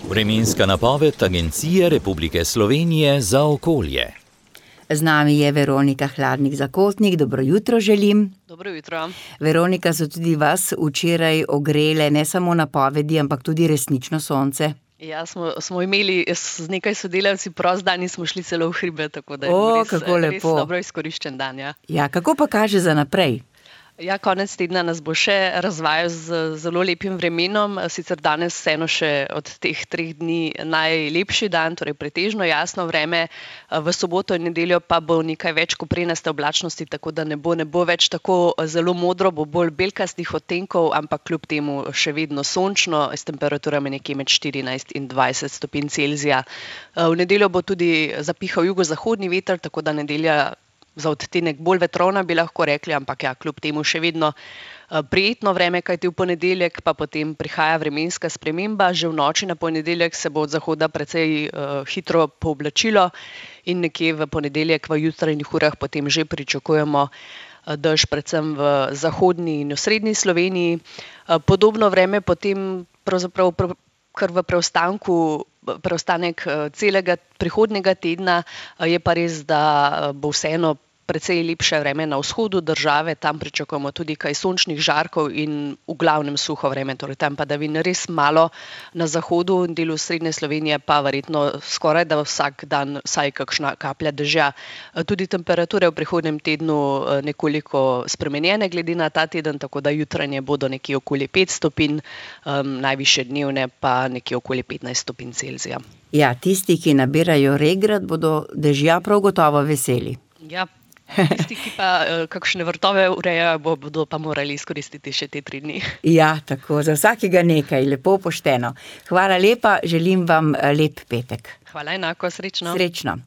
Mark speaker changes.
Speaker 1: Vremenska napoved Agencije Republike Slovenije za okolje.
Speaker 2: Z nami je Veronika Hladnik-Zakotnik, dobro jutro želim.
Speaker 3: Dobro jutro.
Speaker 2: Veronika, so tudi vas včeraj ogrele ne samo napovedi, ampak tudi resnično sonce?
Speaker 3: Ja, smo imeli z nekaj sodelavci prost dan in smo šli celo v hribe, tako da je res dobro izkoriščen dan.
Speaker 2: Ja, kako pa kaže za naprej?
Speaker 3: Ja, konec tedna nas bo še razvajal z zelo lepim vremenom, sicer danes vseeno še od teh 3 dni najlepši dan, torej pretežno jasno vreme, v soboto in nedeljo pa bo nekaj več koprenaste oblačnosti, tako da ne bo več tako zelo modro, bo bolj belkastih odtenkov, ampak kljub temu še vedno sončno, s temperaturami nekje med 14 in 20 stopinj Celzija. V nedeljo bo tudi zapihal jugozahodni veter, tako da nedelja za odtenek bolj vetrovna, bi lahko rekli, ampak ja, kljub temu še vedno prijetno vreme, kajti v ponedeljek pa potem prihaja vremenska sprememba. Že v noči na ponedeljek se bo od zahoda precej hitro pooblačilo in nekje v ponedeljek v jutranjih urah potem že pričakujemo dež predvsem v zahodni in osrednji Sloveniji. Podobno vreme potem pravzaprav kar v preostanek celega prihodnjega tedna, je pa res, da bo vseeno precej lepše vreme na vzhodu države, tam pričakujemo tudi kaj sončnih žarkov in v glavnem suho vreme, torej tam padavin res malo, na zahodu in delu srednje Slovenije pa verjetno skoraj da vsak dan vsaj kakšna kaplja dežja. Tudi temperature v prihodnjem tednu nekoliko spremenjene glede na ta teden, tako da jutranje bodo nekje okoli 5 stopinj, najvišje dnevne pa nekje okoli 15 stopinj Celzija.
Speaker 2: Ja, tisti, ki nabirajo regrat, bodo dežja prav gotovo veseli.
Speaker 3: Ja. Tisti, ki pa kakšne vrtove urejajo, bodo pa morali izkoristiti še te 3 dni.
Speaker 2: Ja, tako, za vsakega nekaj, lepo pošteno. Hvala lepa, želim vam lep petek.
Speaker 3: Hvala enako, srečno.
Speaker 2: Srečno.